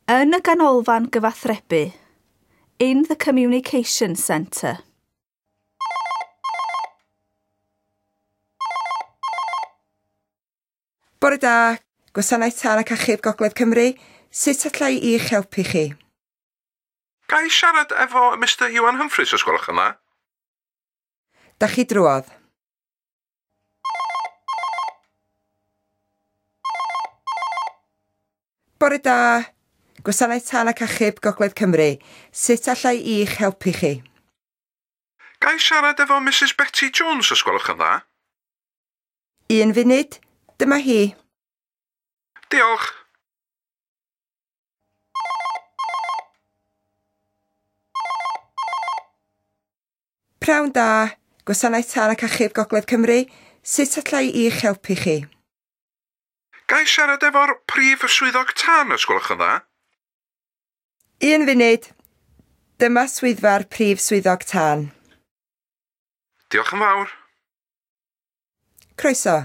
Yn y ganolfan gyfathrebu. In the communication centre. Bore da, Gwasanaeth Tân ac Achub Gogledd Cymru, sut alla i i'ch helpu chi? Ga i siarad efo Mr Iwan Humphreys, os gwelwch yn dda? Da chi drwodd. Bore da, Gwasanaeth Tân ac Achub Gogledd Cymru, sut alla i i'ch helpu chi? Ga i siarad efo Mrs Betty Jones, os gwelwch yn dda? Un funud, dyma hi. Diolch. Pnawn da, Gwasanaeth Tân ac Achub Gogledd Cymru, sut alla i i'ch helpu chi? Ga i siarad efo'r prif swyddog tân, os gwelwch yn dda? Un funud, dyma swyddfa'r prif swyddog tân. Diolch yn fawr. Croeso.